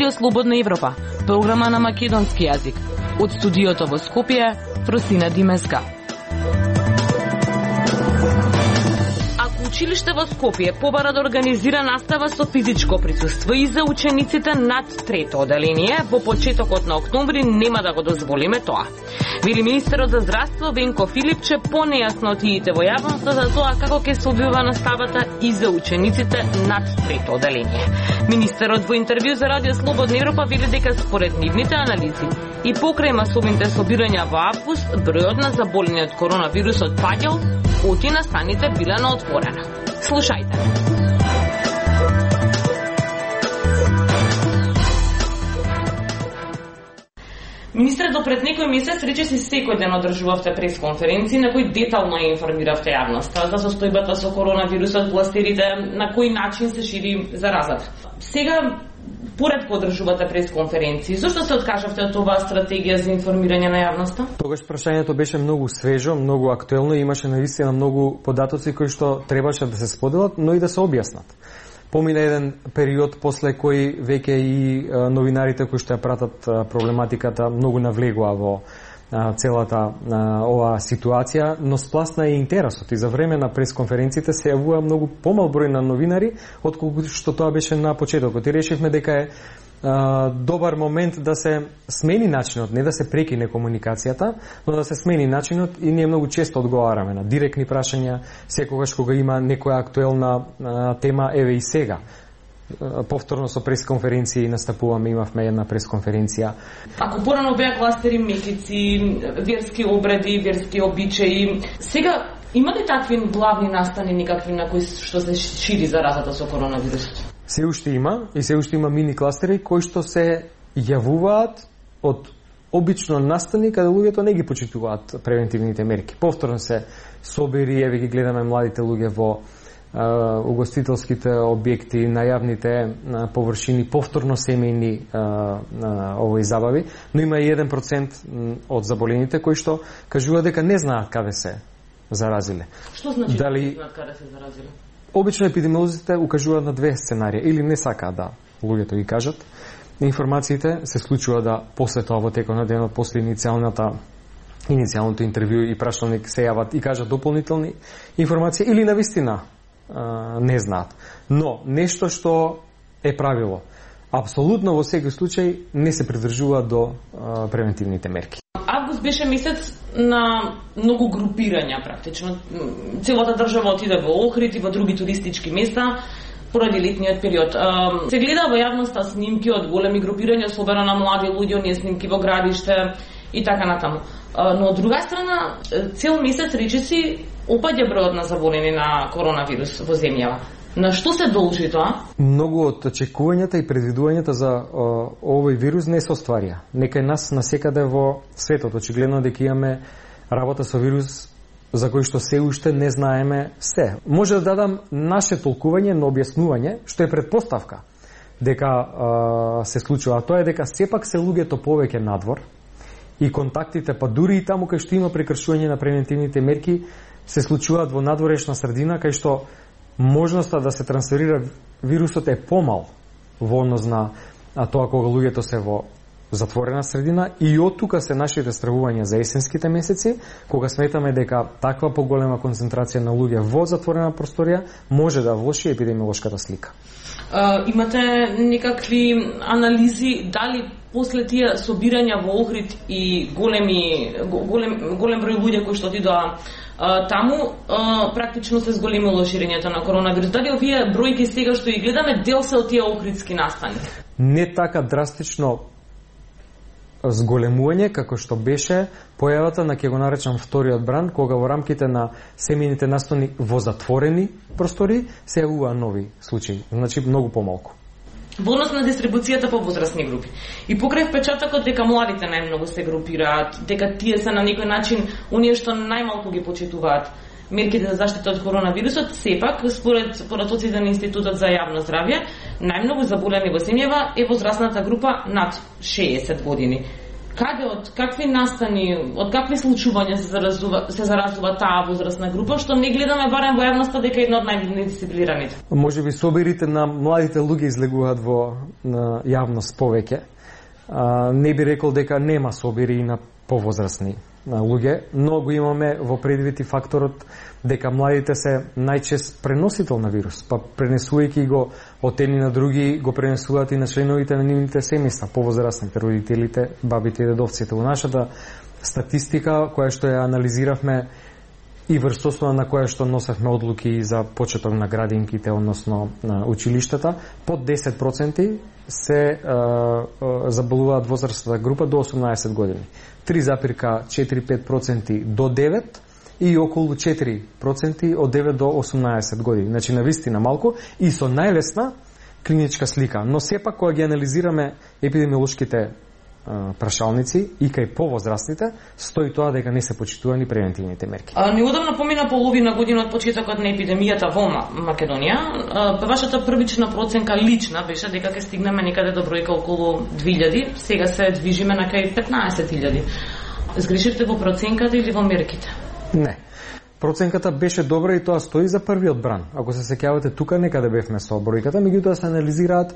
Радио Слободна Европа, програма на македонски јазик. Од студиото во Скопје, Просина Димеска. Училиште во Скопје побара да организира настава со физичко присуство и за учениците над трето оделение, во почетокот на октомври нема да го дозволиме тоа. Вели министерот за здравство Венко Филипче понејаснотиите во јавноста за тоа како ќе се одвива наставата и за учениците над трето оделение. Министерот во интервју за Радио Слободна Европа вели дека според нивните анализи и покрај масовните собирања во август, бројот на заболени од коронавирусот паѓал, оти настаните биле на отворено. Слушајте. Министерот пред некој месец речиси секој ден одржувавте пресконференции на кои детално ја информиравте јавноста за состојбата со коронавирусот, кластерите, на кој начин се шири заразата. Сега поредко одржувате пресконференции. Зошто се откажавте од оваа стратегија за информирање на јавноста? Тогаш прашањето беше многу свежо, многу актуелно и имаше навистина многу податоци кои што требаше да се споделат, но и да се објаснат. Помина еден период после кој веќе и новинарите кои што ја пратат проблематиката многу навлегува во целата оваа ситуација, но спласна и интересот и за време на пресконференциите се јавува многу помал број на новинари отколку што тоа беше на почетокот. И решивме дека е добар момент да се смени начинот, не да се прекине комуникацијата, но да се смени начинот и ние многу често одговараме на директни прашања, секогаш кога има некоја актуелна тема, еве и сега. Повторно со пресконференции настапуваме, имавме една пресконференција. Ако порано беа кластери месеци, верски обреди, верски обичаи, сега има ли такви главни настани никакви на кои што се шири заразата со коронавирусот? Се уште има и се уште има мини кластери кои што се јавуваат од обично настани каде луѓето не ги почитуваат превентивните мерки. Повторно се собери, еве ги гледаме младите луѓе во угостителските објекти, најавните површини, повторно семејни овој забави, но има и 1% од заболените кои што кажуваат дека не знаат каде се заразиле. Што значи не знаат каде се заразиле? Обично епидемиолозите укажуваат на две сценарија, или не сакаат да луѓето ги кажат. Информациите се случува да после тоа во текот на денот, после иницијалното интервју и прашалник се јават и кажат дополнителни информации или навистина не знаат. Но нешто што е правило, апсолутно во секој случај не се придржува до превентивните мерки. Август беше месец на многу групирања практично. Целата држава отиде во Охрид и во други туристички места поради летниот период. Се гледа во јавноста снимки од големи групирања, особено на млади луѓе, оние снимки во градиште и така натаму. Но од друга страна, цел месец речиси опаѓа бројот на заболени на коронавирус во земјава. На што се должи тоа? Многу од очекувањата и предвидувањата за овој вирус не се остварија. Некај нас насекаде во светот очигледно дека имаме работа со вирус за кој што се уште не знаеме се. Може да дадам наше толкување на објаснување, што е предпоставка дека се случува. Тоа е дека сепак се луѓето повеќе надвор и контактите, па дури и таму кај што има прекршување на превентивните мерки, се случуваат во надворешна средина, кај што можноста да се трансферира вирусот е помал во однос на тоа кога луѓето се во затворена средина, и од тука се нашите стравувања за есенските месеци, кога сметаме дека таква поголема концентрација на луѓе во затворена просторија може да влоши епидемиолошката слика. Имате некакви анализи дали после тие собирања во Охрид и голем број луѓе кои што отидоа таму практично се зголемило ширењето на коронавирус? Дали овие бројки сега што ги гледаме дел се од тие охридски настани? Не така драстично зголемување како што беше појавата на, ќе го наречам, вториот бран, кога во рамките на семејните настани во затворени простори се јавува нови случаи, значи многу помалку. Во однос на дистрибуцијата по возрастни групи. И покрај впечатокот дека младите најмногу се групираат, дека тие се на некој начин оние што најмалку ги почитуваат мерките за заштита од коронавирусот, сепак, според податоците на Институтот за јавно здравје, најмногу заболени во земјава е возрастната група над 60 години. Каде, од какви настани, од какви случувања се заразува таа возрастна група, што не гледаме барем во јавноста дека една од најнедисциплинираните? Можеби собирите на младите луѓе излегуваат во јавност повеќе. Не би рекол дека нема собири и на повозрастни луѓе, но го имаме во предвид и факторот дека младите се најчест преносител на вирус, па пренесувајќи го од едни на други, го пренесуваат и на членовите на нивните семејства, повозрастните, родителите, бабите и дедовците. Во нашата статистика, која што ја анализиравме и врз основа на која што носевме одлуки за почеток на градинките, односно на училиштата, под 10% се заболуваат возрастната група до 18 години. 3,45% до 9% и околу 4% од 9 до 18 години. Значи, навистина малку и со најлесна клиничка слика. Но сепак, кога ги анализираме епидемиолошките прашалници и кај повозрастните, стои тоа дека не се почитувани превентивните мерки. Неодамна помина половина година од почетокот на епидемијата во Македонија. Вашата првична проценка лична беше дека ќе стигнеме некаде до бројка околу 2000, сега се движиме на кај 15.000. Сгрешивте во проценката или во мерките? Не. Проценката беше добра и тоа стои за првиот бран. Ако се сеќавате, тука некаде бевме со бројката, меѓутоа се анализираат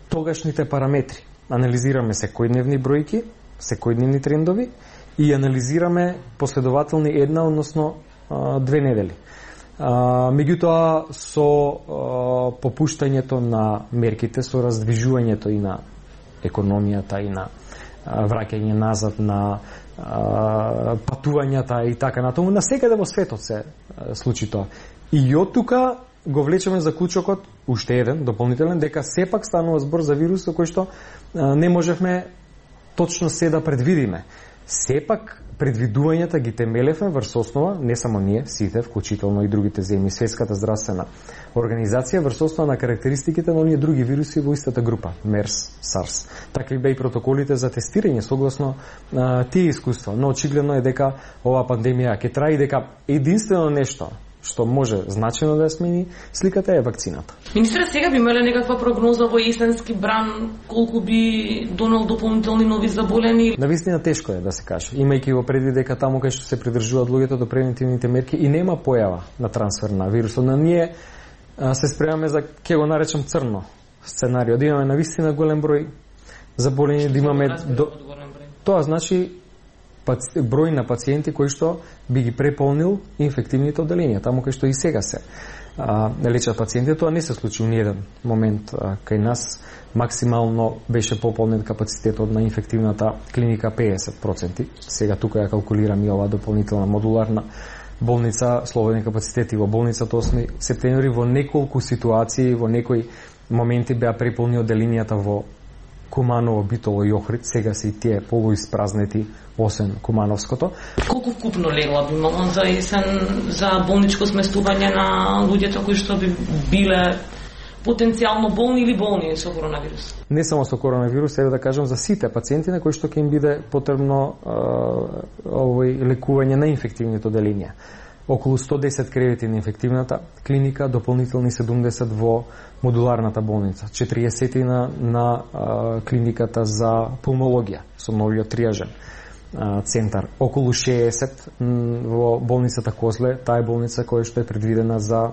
тогашните параметри. Анализираме секојдневни бројки, секојдневни трендови и анализираме последователни една, односно 2 недели. Меѓутоа, со попуштањето на мерките, со раздвижувањето и на економијата и на враќање назад на патувањата и така натаму, насекаде во светот се случи тоа. И од тука го влечеме заклучокот, уште еден, дополнителен, дека сепак станува збор за вирус со кој што не можевме точно се да предвидиме. Сепак, предвидувањата ги темелевме врз основа, не само ние, сите, вклучително и другите земји, Светската здравствена организација, врз основа на карактеристиките на оние други вируси во истата група, МЕРС, САРС. Така и бе и протоколите за тестирање согласно тие искуства. Но очигледно е дека оваа пандемија ќе трае и дека единствено нешто што може значено да ја смени сликата е вакцината. Министре, сега би имале некаква прогноза во есенски бран колку би донел дополнителни нови заболени? Навистина тешко е да се каже, имајќи во предвид дека таму кај што се придржуваат луѓето до превентивните мерки и нема појава на трансфер на вирусот. На ние се спремаме за, ќе го наречам, црно сценарио, да имаме навистина голем број заболени, да имаме тоа значи број на пациенти кои што би ги преполнил инфективните одделенија, таму кај што и сега се лечат пациенти. Тоа не се случи у ниеден момент кај нас. Максимално беше пополнен капацитетот на инфективната клиника 50%. Сега тука ја калкулирам и оваа дополнителна модуларна болница, слободни капацитети во болницата 8 септември. Во неколку ситуации, во некои моменти беа преполни одделенијата во Куманово, Битоло и Охрид, сега се и тие полуиспразнети, освен Кумановското. Колку вкупно легла би имало за есен за болничко сместување на луѓето кои што би биле потенцијално болни или болни со коронавирус? Не само со коронавирус, еве да кажам за сите пациенти на кои што ќе им биде потребно лекување на инфективните одделенија. Околу 110 кревети на инфективната клиника, дополнителни 70 во модуларната болница, 40 на клиниката за пулмологија со новиот триажен центар, околу 60 во болницата Козле, таа е болница која што е предвидена за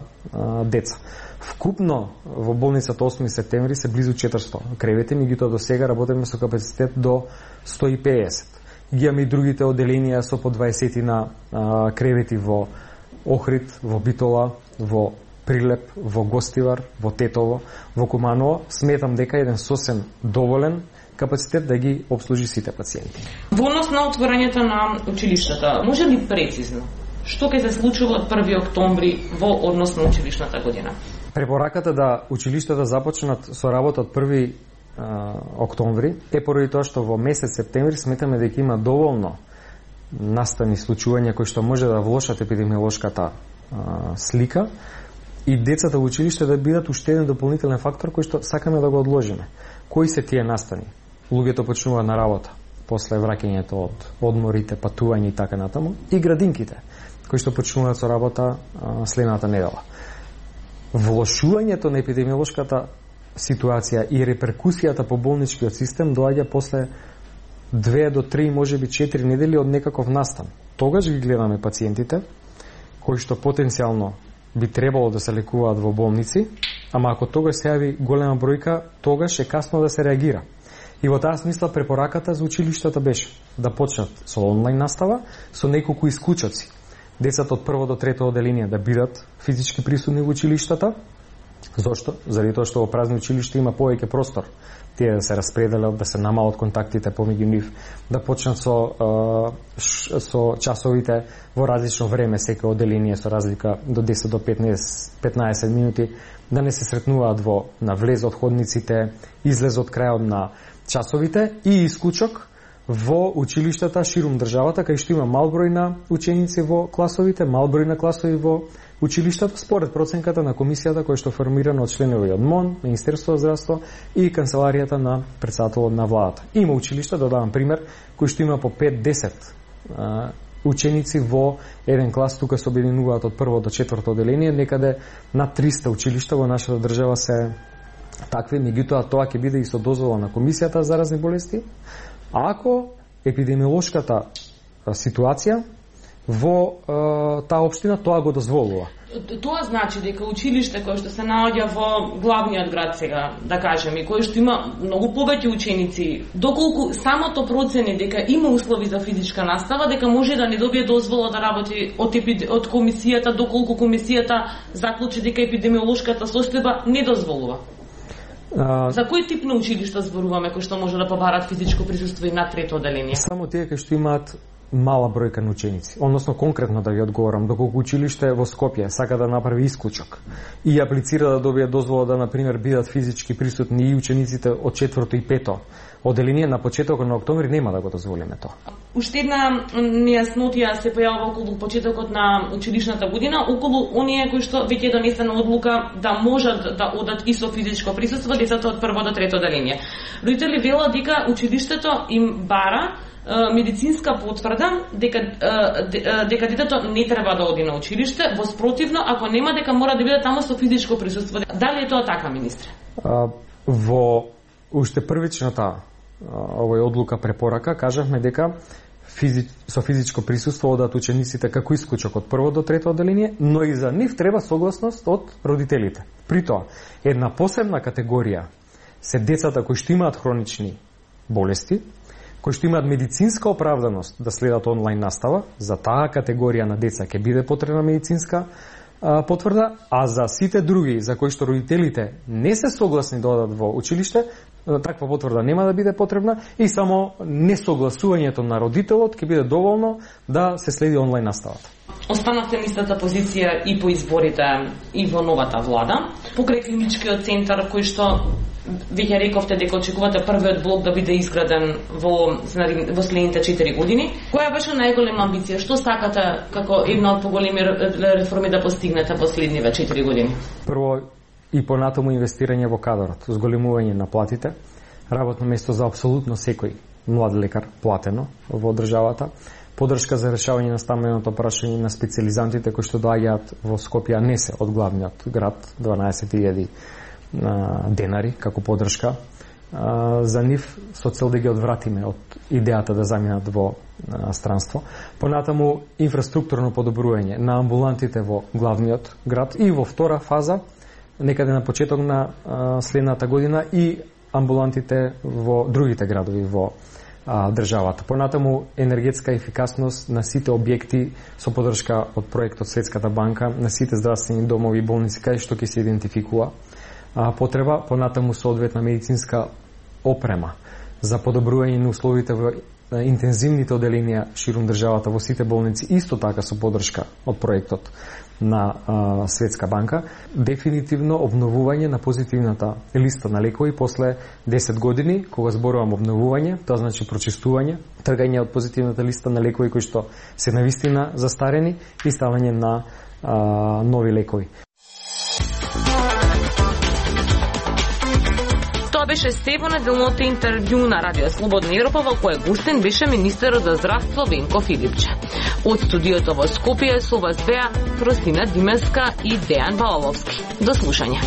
деца. Вкупно во болницата 8 септември се близу 400 кревети, меѓутоа до сега работиме со капацитет до 150. Ги имаме и другите одделенија со по 20 на кревети во Охрид, во Битола, во Прилеп, во Гостивар, во Тетово, во Куманово. Сметам дека еден сосем доволен капацитет да ги обслужи сите пациенти. Во однос на отворањето на училиштата, може ли прецизно што ќе се случи од 1 октомври во однос на училишната година? Препораката да училиштата започнат со работа од 1 октомври е поради тоа што во месец септември сметаме дека има доволно настани случувања кои што може да влошат епидемиолошката слика и децата во училиште да бидат уште еден дополнителен фактор кој што сакаме да го одложиме. Кои се тие настани? Луѓето почнуваат на работа после враќањето од одморите, патување и така натаму, и градинките кои што почнуваат со работа следната недела. Влошувањето на епидемиолошката ситуација и реперкусијата по болничкиот систем доаѓа после 2 до 3, можеби 4 недели од некаков настан. Тогаш ги гледаме пациентите кои што потенцијално би требало да се лекуваат во болници, ама ако тогаш се јави голема бројка, тогаш е касно да се реагира. И во таа смисла препораката за училиштата беше да почнат со онлайн настава со неколку исклучоци. Децата од прво до трето оделение да бидат физички присутни во училиштата. Зошто? Заради тоа што во празни училишта има повеќе простор. Тие да се распределат, да се намалат контактите помеѓу нив, да почнат со часовите во различно време, секој оделение со разлика до 10 до 15 минути, да не се сретнуваат на влез од ходниците, излез од крајот на часовите и исклучок во училиштата ширум државата, кај што има мал број на ученици во класовите, мал број на класови во училиштата, според проценката на комисијата која што формирана од членови од МОН, Министерството за здравство и канцеларијата на претседателот на владата. Има училишта, да дадам пример, кои што има по 5-10 ученици во еден клас, тука се обединуваат од прво до четврто оделение, некаде над 300 училишта во нашата држава се такви, меѓутоа тоа ќе биде и со дозвола на комисијата за заразни болести, ако епидемиолошката ситуација во таа општина тоа го дозволува. Тоа значи дека училиште кое што се наоѓа во главниот град сега, да кажеме, и кое што има многу повеќе ученици, доколку самото процени дека има услови за физичка настава, дека може да не добие дозвола да работи од комисијата, доколку комисијата заклучи дека епидемиолошката состојба не дозволува. За кој тип на училишта зборуваме кои што може да побарат физичко присуство и на трето оделение? Само тие кои што имаат мала бројка на ученици. Односно, конкретно да ви одговорам, доколку училиште во Скопје сака да направи исклучок и аплицира да добие дозвола да, например, бидат физички присутни и учениците од 4-то и 5-то оделение, на почетокот на октомври нема да го дозволиме тоа. Уште една нејаснотија се појавува околу почетокот на училишната година, околу оние кои што веќе е донесена одлука да можат да одат и со физичко присуство децата од прво до трето оделение. Родители велат дека училиштето им бара медицинска потврда дека детето не треба да оди на училиште, во спротивно, ако нема, дека мора да биде таму со физичко присуство. Дали е тоа така, министре? Во уште првичната овој одлука препорака кажавме дека со физичко присуство одат учениците како исклучок од прво до трето оделение, но и за нив треба согласност од родителите. При тоа, една посебна категорија се децата кои што имаат хронични болести, кои што имаат медицинска оправданост да следат онлайн настава. За таа категорија на деца ќе биде потребна медицинска потврда, а за сите други за кои што родителите не се согласни да одат во училиште, таква потврда нема да биде потребна и само несогласувањето на родителот ќе биде доволно да се следи онлайн наставата. Останавте на истата позиција и по изборите и во новата влада. Покрај клиничкиот центар кој што веќе рековте дека очекувате првиот блок да биде изграден во следните 4 години. Која беше најголема амбиција? Што сакате како една од поголеми реформи да постигнете во следниве 4 години? Прво и понатаму инвестирање во кадрот, зголемување на платите, работно место за апсолутно секој млад лекар платено во државата, поддршка за решавање на стамбеното прашање на специјализантите кои што доаѓаат во Скопје, не се од главниот град, 12.000 денари како поддршка за нив со цел да ги одвратиме од идејата да заминат во странство. Понатаму инфраструктурно подобрување на амбулантите во главниот град и во втора фаза, некаде на почеток на следната година, и амбулантите во другите градови во државата. Понатаму енергетска ефикасност на сите објекти со поддршка од проектот Светската банка, на сите здравствени домови и болници кај што ќе се идентификува потреба, понатаму соодветна медицинска опрема за подобрување на условите во интензивните оделенија ширум државата во сите болници, исто така со поддршка од проектот на Светска банка. Дефинитивно обновување на позитивната листа на лекови после 10 години, кога зборувам обновување, тоа значи прочистување, тргање од позитивната листа на лекови кои што се навистина застарени и ставање на нови лекови. Тоа беше Стефан неделното интервју на Радио Слободна Европа, во кое гостин беше министерот за здравство Венко Филипче. Од студиото во Скопје со вас беа Фросина Димеска и Дејан Балаловски. До слушање.